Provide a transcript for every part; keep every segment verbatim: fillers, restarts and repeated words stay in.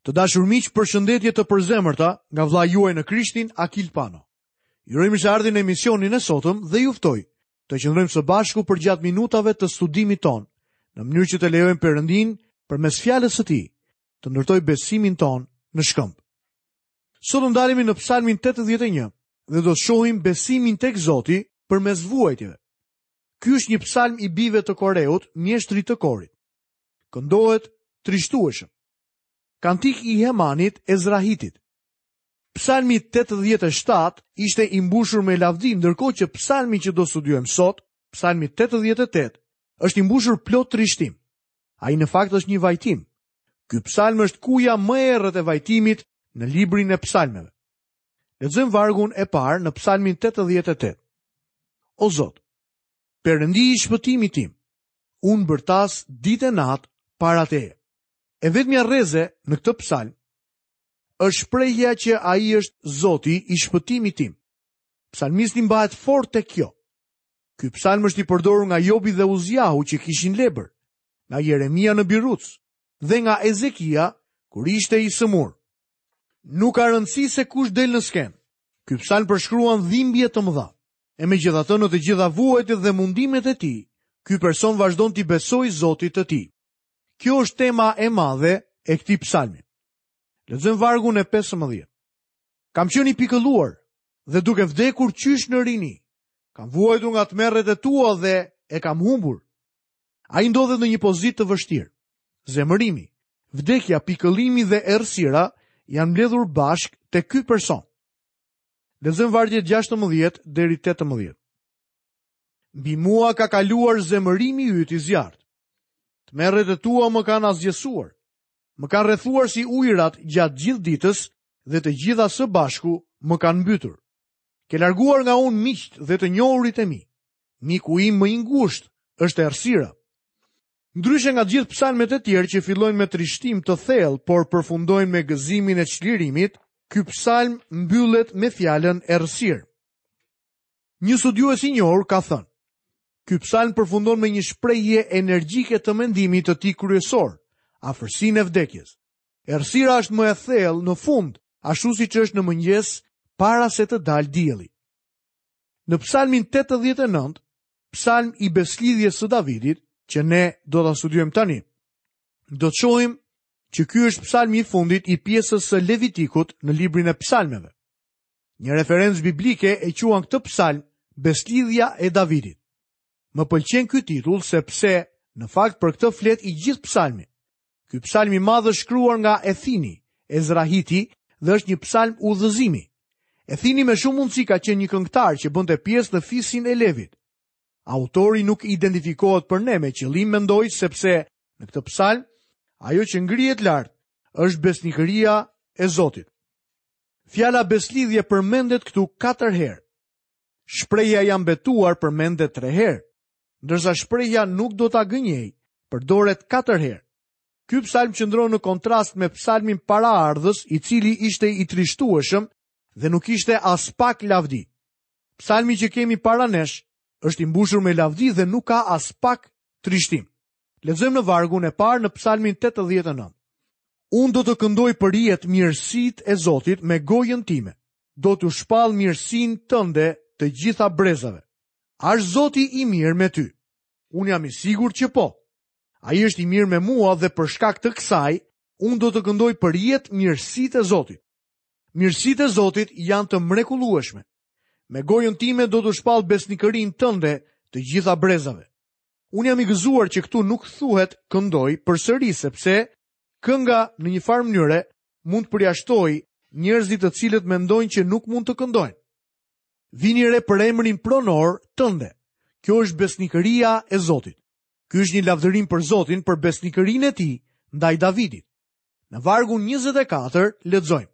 Të dashur miq, përshëndetje të përzemërta nga vëllai juaj në Krishtin, Akil Pano. Ju uroj mirëseardhjen në emisionin e sotëm dhe ju ftoj të qëndrojmë së bashku përgjatë minutave të studimit tonë, në mënyrë që të lejojmë Perëndin përmes fjalës së Tij të ndërtojë besimin tonë në shkëmb. Sot do ndalemi në Psalmin tetëdhjetë e një dhe do të shohim besimin tek Zoti përmes vuajtjeve. Ky është një psalm i bijve të Koreut, mjeshtrit të korit. Këndohet trishtueshëm. Kantik i Hemanit Ezrahitit. Psalmi tetëdhjetë e shtatë ishte i mbushur me lavdi, ndërkohë që psalmi që do studiojmë sot, psalmi tetëdhjetë e tetë, është i mbushur plot trishtim. Ai në fakt është një vajtim. Ky psalm është kuja më e errët e vajtimit në librin e psalmeve. Lexojmë vargun e parë në psalmin tetëdhjetë e tetë. O Zot, Perëndi i shpëtimit tim, unë bërtas ditë e natë para teje. E vetmja rreze në këtë psalm është shprehja që ai është Zoti i shpëtimit tim. Psalmisti mbahet fort tek kjo. Ky psalm është i përdorur nga Jobi dhe Uziahu që kishin lebër, nga Jeremia në Biruc dhe nga Ezekia kur ishte i sëmur. Nuk ka rëndësi se kush del në skenë. Ky psalm përshkruan dhimbje të mëdha. E megjithatë në të gjitha vuajtjet dhe mundimet e tij, ky person vazhdon t'i besojë Zotit të tij. Kjo është tema e madhe e këtij psalmi. Lexojmë vargun e pesëmbëdhjetë. Kam qenë i pikëlluar dhe duke vdekur qysh në rini. Kam vuajtur nga tmerret e tua dhe e kam humbur. Ai ndodhet në një pozitë të vështirë. Zemërimi, vdekja, pikëllimi dhe errësira janë mbledhur bashkë te ky person. Lexojmë vargjet gjashtëmbëdhjetë deri tetëmbëdhjetë. Mbi mua ka kaluar zemërimi yt i zjarrt. Tmerret e tua më kanë asgjësuar. Më kanë rrethuar si ujërat gjatë gjithë ditës dhe të gjitha së bashku më kanë mbytur. Ke larguar nga unë miqt dhe të njohurit e mi. Miku im më i ngushtë është errësira. Ndryshe nga gjithë psalmet e tjerë që fillojnë me trishtim të thellë, por përfundojnë me gëzimin e çlirimit, ky psalm mbyllet me fjalën errësirë. Një studiues i njohur ka thënë: Ky psalm përfundon me një shprehje energjike të mendimit të tij kryesor, afërsinë e vdekjes. Errësira është më e thellë në fund, ashtu siç është në mëngjes para se të dalë dielli. Në psalmin tetëdhjetë e nëntë, psalm i beslidhjes së Davidit, që ne do ta studiojmë tani, do të shohim që ky është psalmi i fundit i pjesës së Levitikut në librin e psalmeve. Një referencë biblike e quan këtë psalm Beslidhja e Davidit. Më pëlqen ky titull sepse në fakt për këtë flet i gjithë psalmi. Ky psalm i madh është shkruar nga Ethini, Ezrahiti, dhe është një psalm udhëzimi. Ethini me shumë mundësi ka qenë një këngëtar që bënte pjesë në fisin e Levit. Autori nuk identifikohet për ne me qëllim, mendoj, sepse në këtë psalm ajo që ngrihet lart është besnikëria e Zotit. Fjala beslidhje përmendet këtu katër herë. Shprehja jam betuar përmendet tre herë, ndërsa shprehja nuk do ta gënjej përdoret katër herë. Ky psalm qëndron në kontrast me psalmin paraardhës, i cili ishte i trishtueshëm dhe nuk ishte as pak lavdi. Psalmi që kemi para nesh është i mbushur me lavdi dhe nuk ka as pak trishtim. Lexojmë në vargun e parë në psalmin tetëdhjetë e nëntë. Unë do të këndoj për jetë mirësitë e Zotit me gojën time. Do t'u shpall mirësinë tënde të gjitha brezave. A është Zoti i mirë me ty? Unë jam i sigurt që po. Ai është i mirë me mua dhe për shkak të kësaj, unë do të këndoj për jetë mirësitë e Zotit. Mirësitë e Zotit janë të mrekullueshme. Me gojën time do të shpall besnikërinë tënde të gjitha brezave. Unë jam i gëzuar që këtu nuk thuhet këndoj përsëri, sepse kënga në një farë mënyre mund të përjashtojë njerëzit të cilët mendojnë që nuk mund të këndojnë. Vini re për emrin pronor tënde. Kjo është besnikëria e Zotit. Ky është një lavdërim për Zotin për besnikërinë e tij ndaj Davidit. Në vargun njëzet e katër lexojmë: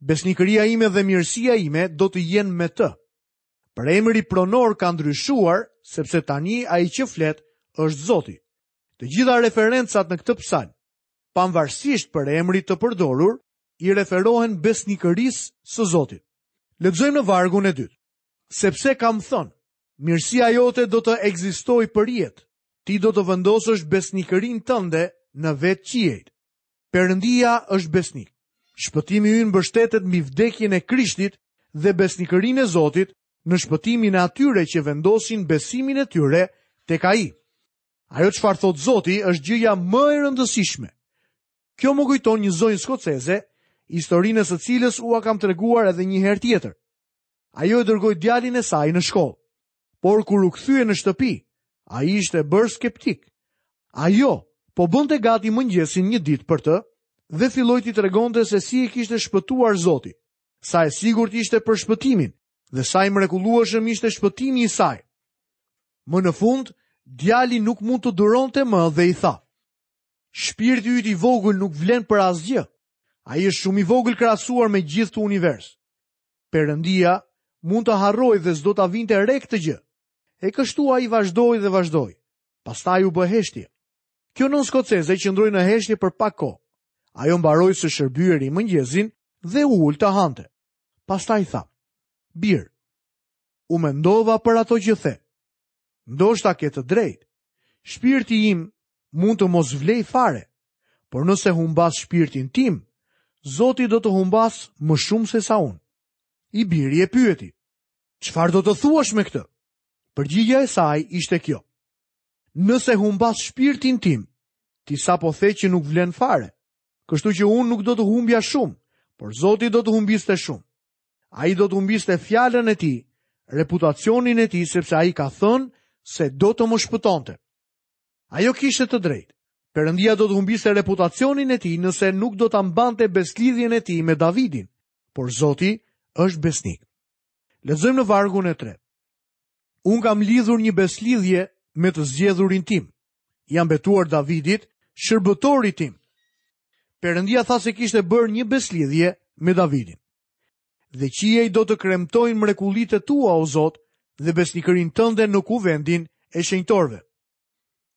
Besnikëria ime dhe mirësia ime do të jenë me të. Për emri pronor ka ndryshuar, sepse tani ai që flet është Zoti. Të gjitha referencat në këtë psalm, pavarësisht për emrit të përdorur, i referohen besnikërisë së Zotit. Lexojmë në vargun e dytë. Sepse kam thënë, mirësia jote do të ekzistojë për jetë, ti do të vendosësh besnikërinë tënde në vetë qiejt. Perëndia është besnik. Shpëtimi ynë mbështetet mbi vdekjen e Krishtit dhe besnikërinë e Zotit në shpëtimin e atyre që vendosin besimin e tyre tek Ai. Ajo çfarë thot Zoti është gjëja më e rëndësishme. Kjo më kujton një zonjë skoceze, historinë e së cilës ua kam treguar edhe një herë tjetër. Ajo e dërgoi djalin e saj në shkollë, por kur u kthye në shtëpi, ai ishte bërë skeptik. Ajo po bënte gati mëngjesin një ditë për të dhe filloi t'i tregonte se si e kishte shpëtuar Zoti, sa e sigurt ishte për shpëtimin dhe sa i mrekullueshëm ishte shpëtimi i saj. Më në fund, djali nuk mund të duronte më dhe i tha: "Shpirti yt i vogël nuk vlen për asgjë. Ai është shumë i vogël krahasuar me gjithë të univers. Perëndia mund të harrojë dhe s'do ta vinte re këtë gjë." E kështu ai vazhdoi dhe vazhdoi. Pastaj u bë heshtje. Kjo nën skoceze qëndroi në heshtje për pak kohë. Ajo mbaroi së shërbyeri mëngjesin dhe u ul të hante. Pastaj tha: "Bir, u mendova për ato që the. Ndoshta ke të drejtë. Shpirti im mund të mos vlej fare, por nëse humbas shpirtin tim, Zoti do të humbas më shumë se sa unë." I biri e pyeti: "Çfarë do të thuash me këtë?" Përgjigjja e saj ishte kjo: "Nëse humbas shpirtin tim, ti sapo the që nuk vlen fare, kështu që unë nuk do të humbja shumë, por Zoti do të humbiste shumë. Ai do të humbiste fjalën e tij, reputacionin e tij, sepse ai ka thënë se do të më shpëtonte." Ajo kishte të drejtë. Perëndia do të humbiste reputacionin e tij nëse nuk do ta mbante beslidhjen e tij me Davidin, por Zoti është besnik. Lexojmë në vargun e tretë. Unë kam lidhur një beslidhje me të zgjedhurin tim. Jam betuar Davidit, shërbëtorit tim. Perëndia tha se kishte bërë një beslidhje me Davidin. Dhe qiej do të kremtojnë mrekullitë tua, o Zot, dhe besnikërinë tënde në kuvendin e shenjtorëve.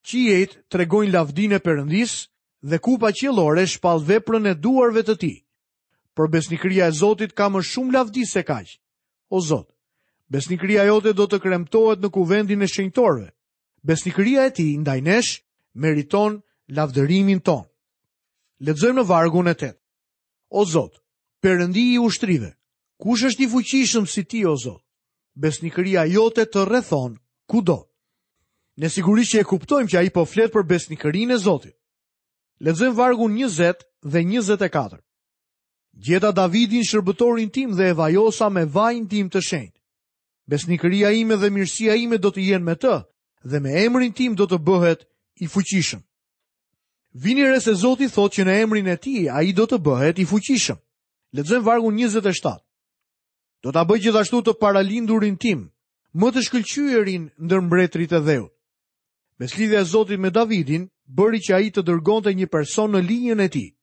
Qiejt tregojnë lavdinë e Perëndisë dhe kupa qiellore shpall veprën e duarve të tij. Por besnikëria e Zotit ka më shumë lavdi se kaq. O Zot, besnikëria jote do të kremtohet në kuvendin e shenjtorëve. Besnikëria e tij ndaj nesh meriton lavdërimin ton. Lexojmë në vargun e tetë. O Zot, Perëndi i ushtrive, kush është i fuqishëm si ti, o Zot? Besnikëria jote të rrethon kudo. Ne sigurisht që e kuptojmë që ai po flet për besnikërinë e Zotit. Lexojmë vargun njëzet dhe njëzet e katër. Gjeta Davidin shërbëtorin tim dhe e vajosa me vajin tim të shenjtë. Besnikëria ime dhe mirësia ime do të jenë me të dhe me emrin tim do të bëhet i fuqishëm. Vini re se Zoti thotë që në emrin e tij ai do të bëhet i fuqishëm. Lexojmë vargun njëzet e shtatë. Do ta bëj gjithashtu të paralindurin tim, më të shkëlqyerin ndër mbretërit e dheut. Beslidhja e Zotit me Davidin bëri që ai të dërgonte një person në linjën e tij.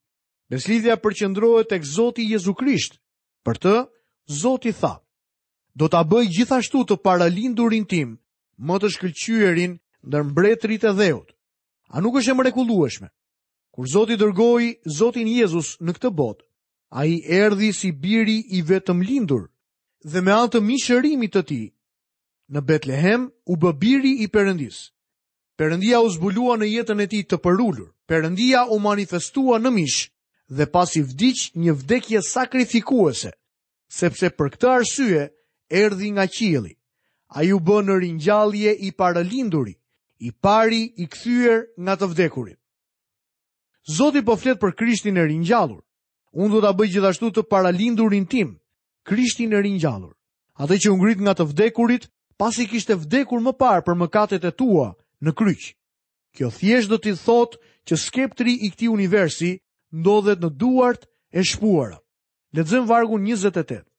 Beslidhja përqendrohet tek Zoti Jezu Krisht. Për të, Zoti tha: "Do ta bëj gjithashtu të paralindurin tim, më të shkëlqyerin ndër mbretërit e dheut." A nuk është e mrekullueshme? Kur Zoti dërgoi Zotin Jezus në këtë botë, ai erdhi si biri i vetëm lindur dhe me anë të mishërimit të tij në Betlehem u bë biri i Perëndisë. Perëndia u zbulua në jetën e tij të përulur. Perëndia u manifestua në mish dhe pasi vdiq një vdekje sakrifikuese, sepse për këtë arsye erdhi nga qielli. Ai u bë në ringjallje i paralinduri, i pari i kthyer nga të vdekurit. Zoti po flet për Krishtin e ringjallur. Unë do ta bëj gjithashtu të paralindurin tim, Krishtin e ringjallur, atë që u ngrit nga të vdekurit, pasi kishte vdekur më parë për mëkatet e tua në kryq. Kjo thjesht do t'i thotë që skeptri i këtij universi ndodhet në duart e shpuara. Lexojmë vargun njëzet e tetë.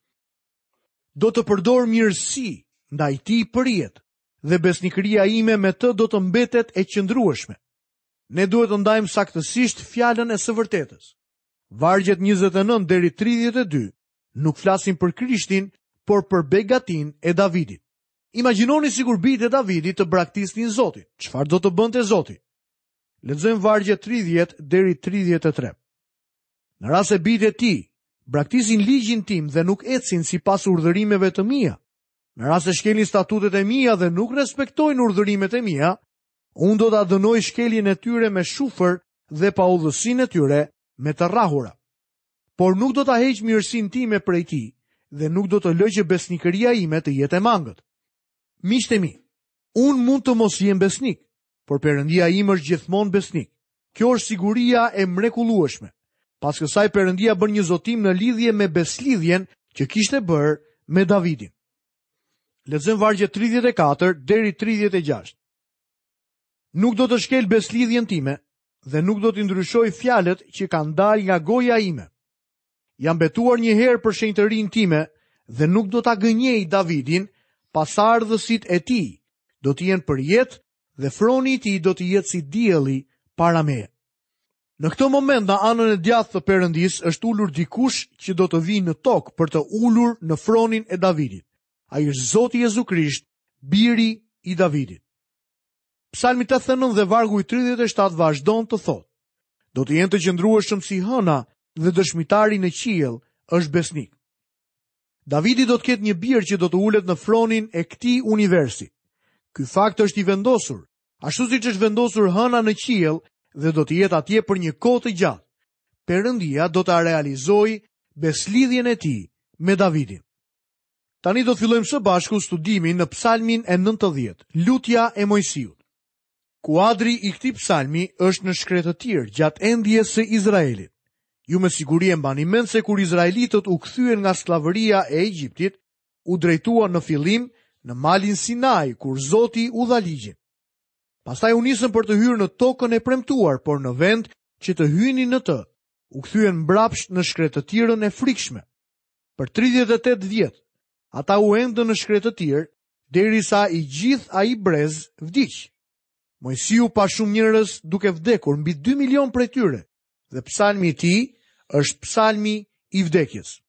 Do të përdor mirësi ndaj tij për jetë dhe besnikëria ime me të do të mbetet e qëndrueshme. Ne duhet të ndajmë saktësisht fjalën e së vërtetës. Vargjet njëzet e nëntë deri tridhjetë e dy nuk flasin për Krishtin, por për begatin e Davidit. Imagjinoni sikur bijtë e Davidit të braktisnin Zotin. Çfarë do të bënte Zoti? Lexojmë vargjet tridhjetë deri tridhjetë e tre. Në rast se bijtë e tij braktisin ligjin tim dhe nuk ecin sipas urdhërimeve të mia, në rast se shkelin statutet e mia dhe nuk respektojnë urdhërimet e mia, unë do ta dënoj shkeljen e tyre me shufër dhe paudhësinë e tyre me të rrahura. Por nuk do ta heq mirësinë time prej tij dhe nuk do të lë që besnikëria ime të jetë e mangët. Miqtë e mi, unë mund të mos jem besnik, por Perëndia im është gjithmonë besnik. Kjo është siguria e mrekullueshme. Pas kësaj Perëndia bën një zotim në lidhje me beslidhjen që kishte bërë me Davidin. Lexojmë vargjet tridhjetë e katër deri tridhjetë e gjashtë. Nuk do të shkel beslidhjen time dhe nuk do t'i ndryshoj fjalët që kanë dalë nga goja ime. Jam betuar një herë për shenjtërinë time dhe nuk do ta gënjej Davidin, pasardhësit e tij do të jenë për jetë dhe froni i tij do të jetë si dielli para meje. Në këtë moment në anën e djathtë të Perëndisë është ulur dikush që do të vijë në tokë për të ulur në fronin e Davidit. Ai është Zoti Jezu Krisht, biri i Davidit. Psalmi tetëdhjetë e nëntë dhe vargu i tridhjetë e shtatë vazhdon të thotë: Do të jenë të qëndrueshëm si hëna dhe dëshmitari në qiell është besnik. Davidi do të ketë një bir që do të ulet në fronin e këtij universi. Ky fakt është i vendosur, ashtu siç është vendosur hëna në qiell dhe do të jetë atje për një kohë të gjatë. Perëndia do ta realizojë beslidhjen e tij me Davidin. Tani do të fillojmë së bashku studimin në Psalmin e nëntëdhjetë, Lutja e Moisiut. Kuadri i këtij psalmi është në shkretëtirë gjatë endjes së Izraelit. Ju me siguri e mbani mend se kur izraelitët u kthyen nga skllavëria e Egjiptit, u drejtuan në fillim në malin Sinai, kur Zoti u dha ligjin. Pastaj u nisën për të hyrë në tokën e premtuar, por në vend që të hynin në të, u kthyen mbrapsht në shkretëtirën e frikshme. Për tridhjetë e tetë vjet, ata u endën në shkretëtirë derisa i gjithë ai brez vdiq. Moisiu pa shumë njerëz duke vdekur, mbi dy milion prej tyre, dhe psalmi i tij është psalmi i vdekjes.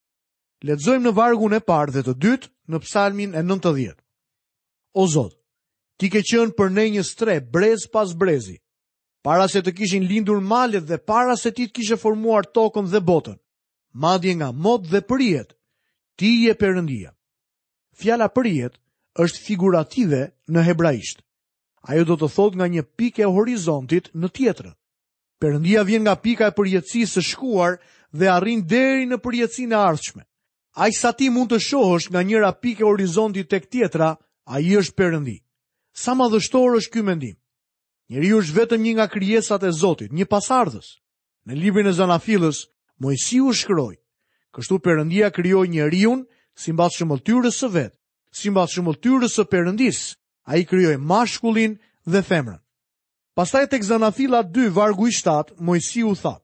Lexojmë në vargun e parë dhe të dytë në psalmin e nëntëdhjetë. O Zot, ti ke qenë për ne një strehë brez pas brezi, para se të kishin lindur malet dhe para se ti të kishe formuar tokën dhe botën, madje nga mot dhe përjet, ti je Perëndia. Fjala përjet është figurative në hebraisht. Ajo do të thotë nga një pikë e horizontit në tjetrën. Perëndia vjen nga pika e përjetësisë së shkuar dhe arrin deri në përjetësinë e ardhshme. Aq sa ti mund të shohësh nga njëra pikë e horizontit tek tjetra, ai është Perëndi. Sa madhështor është ky mendim. Njeriu është vetëm një nga krijesat e Zotit, një pasardhës. Në librin e Zanafillës, Moisiu shkroi: Kështu Perëndia krijoi njeriun sipas shëmbëlltyrës së vet, sipas shëmbëlltyrës së Perëndisë, ai krijoi mashkullin dhe femrën. Pastaj tek Zanafilla dy, vargu i shtatë, Moisiu tha: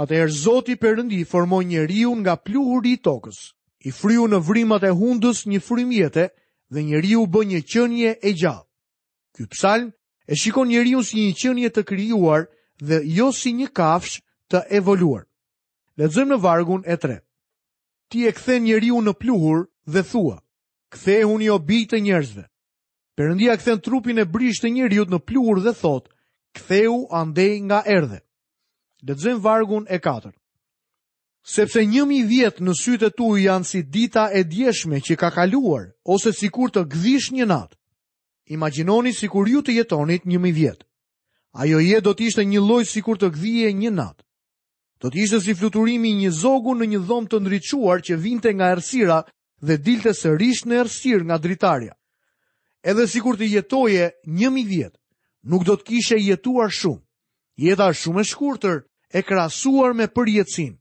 Atëherë Zoti Perëndi formoi njeriun nga pluhuri i tokës, i fryu në vrimat e hundës një frymë jete dhe njeriu u bë një qenie e gjallë. Ky psalm e shikon njeriun si një qenie të krijuar dhe jo si një kafshë të evoluar. Lexojmë në vargun e tretë. Ti e kthen njeriun në pluhur dhe thua: Kthehuni o bij të njerëzve. Perëndia kthen trupin e brishtë të njeriut në pluhur dhe thotë: Ktheu andej nga erdhe. Lexojmë vargun e katërt. Sepse një mijë vjet në sytë e tu janë si dita e djeshme që ka kaluar, ose sikur të gdhish një natë. Imagjinoni sikur ju të jetonit një mijë vjet. Ajo jetë do të ishte një lloj sikur të gdhije një natë. Do të ishte si fluturimi i një zogu në një dhomë të ndriçuar që vinte nga errësira dhe dilte sërish në errësirë nga dritarja. Edhe sikur të jetoje një mijë vjet, nuk do të kishe jetuar shumë. Jeta është shumë e shkurtër e krahasuar me përjetësinë.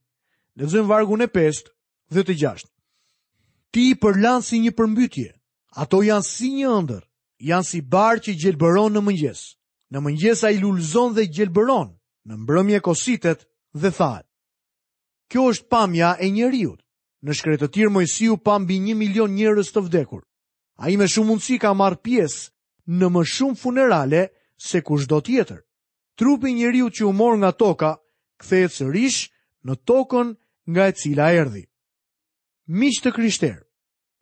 Lexojmë vargun e pestë dhe të gjashtë. Ti i përlan si një përmbytje, ato janë si një ëndër, janë si bar që gjelbëron në mëngjes. Në mëngjes ai lulëzon dhe gjelbëron, në mbrëmje kositet dhe thahet. Kjo është pamja e njeriut. Në shkretëtirë Moisiu pa mbi një milion njerëz të vdekur. Ai me shumë mundësi ka marrë pjesë në më shumë funerale se kushdo tjetër. Trupi i njeriut që u mor nga toka kthehet sërish në tokën nga e cila erdhi. Miq të krishterë,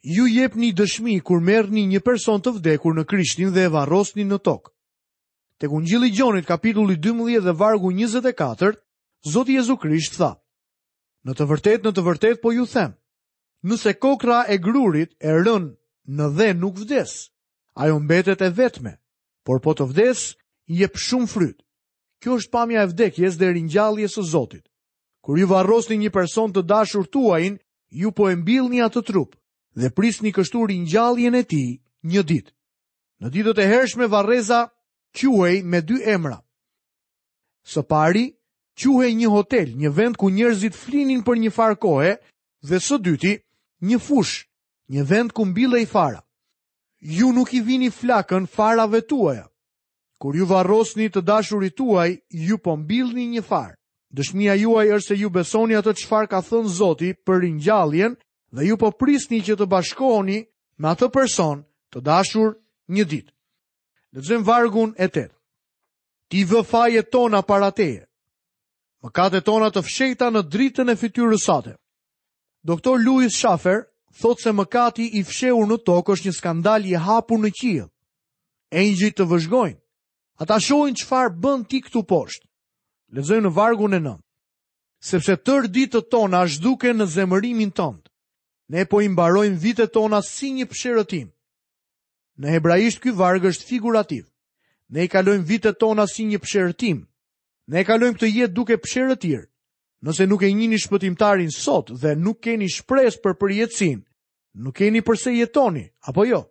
ju jepni dëshmi kur merrni një person të vdekur në Krishtin dhe e varrosni në tokë. Tek Ungjilli i Gjonit, kapitulli dymbëdhjetë dhe vargu njëzet e katër, Zoti Jezu Krisht tha: Në të vërtetë, në të vërtetë po ju them, nëse kokra e grurit e rën në dhe nuk vdes, ajo mbetet e vetme, por po të vdes, jep shumë fryt. Kjo është pamja e vdekjes dhe ringjalljes së Zotit. Kur ju varrosni një person të dashur tuajin, ju po e mbillni atë trup dhe prisni kështu ringjalljen e tij një ditë. Në ditët e hershme varreza quhej me dy emra. Së pari, quhej një hotel, një vend ku njerëzit flinin për një farë kohe, dhe së dyti, një fushë, një vend ku mbillej fara. Ju nuk i vini flakën farave tuaja. Kur ju varrosni të dashurit tuaj, ju po mbillni një farë. Dëshmia juaj është se ju besoni atë çfarë ka thënë Zoti për ringjalljen dhe ju po prisni që të bashkoheni me atë person të dashur një ditë. Lexojmë vargun e tetë. Ti vë fajet tona para teje, mëkatet tona të fshehta në dritën e fytyrës sate. Doktor Louis Schaffer thotë se mëkati i fshehur në tokë është një skandal i hapur në qiell. Engjëjt të vëzhgojnë. Ata shohin çfarë bën ti këtu poshtë. Lexojmë në vargun e nëntë. Sepse tërë ditët tona zhduken në zemërimin tënd. Ne po i mbarojmë vitet tona si një psherëtim. Në hebraisht ky varg është figurativ. Ne i kalojmë vitet tona si një psherëtim. Ne e kalojmë këtë jetë duke psherëtir. Nëse nuk e njihni shpëtimtarin sot dhe nuk keni shpresë për përjetësinë, nuk keni përse jetoni, apo jo?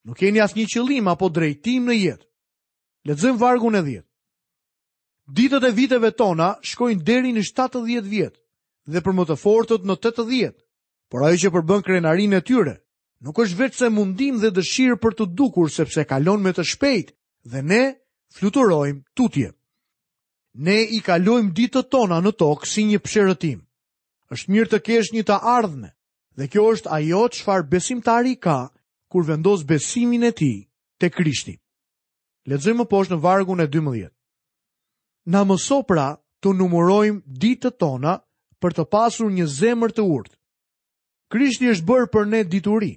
Nuk keni asnjë qëllim apo drejtim në jetë. Lexojmë vargun e dhjetë. Ditët e viteve tona shkojnë deri në shtatëdhjetë vjet dhe për më të fortët në tetëdhjetë. Por ajo që përbën krenarinë e tyre nuk është veç se mundim dhe dëshirë për të dukur, sepse kalon me të shpejt dhe ne fluturojmë tutje. Ne i kalojmë ditët tona në tokë si një psherëtim. Është mirë të kesh një të ardhme, dhe kjo është ajo çfarë besimtari ka kur vendos besimin e tij te Krishti. Lexojmë më poshtë në vargun e dymbëdhjetë. Na mëso pra të numërojmë ditët tona për të pasur një zemër të urtë. Krishti është bërë për ne dituri,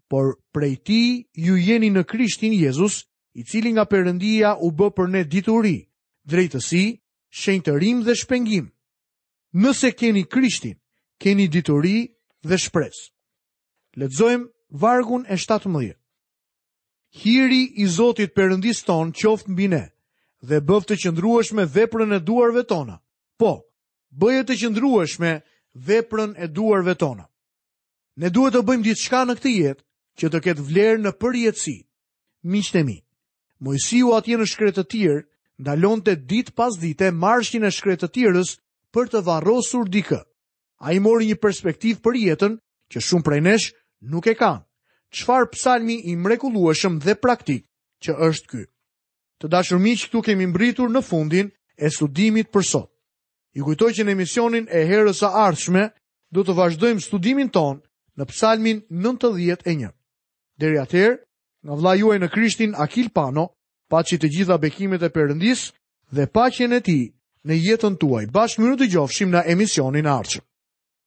por prej tij ju jeni në Krishtin Jezus, i cili nga Perëndia u bë për ne dituri, drejtësi, shenjtërim dhe shpengim. Nëse keni Krishtin, keni dituri dhe shpresë. Lexojmë vargun e shtatëmbëdhjetë. Hiri i Zotit Perëndis ton qoftë mbi ne dhe bëftë të qëndrueshme veprën e duarve tona. Po, bëje të qëndrueshme veprën e duarve tona. Ne duhet të bëjmë diçka në këtë jetë që të ketë vlerë në përjetësi. Miqtë e mi, Moisiu atje në shkretëtirë ndalonte ditë pas dite marshin e shkretëtirës për të varrosur dikë. Ai mori një perspektivë për jetën që shumë prej nesh nuk e kanë. Çfarë psalmi i mrekullueshëm dhe praktik që është ky. Të dashur miq, këtu kemi mbritur në fundin e studimit për sot. Ju kujtoj që në emisionin e herës së ardhshme do të vazhdojmë studimin ton në psalmin nëntëdhjetë e një. Deri atëherë, nga vëllai juaj në Krishtin Akil Pano, paçi të gjitha bekimet e Perëndisë dhe paqen e tij në jetën tuaj. Bashkë mirë dëgjofshim në emisionin e ardhshëm.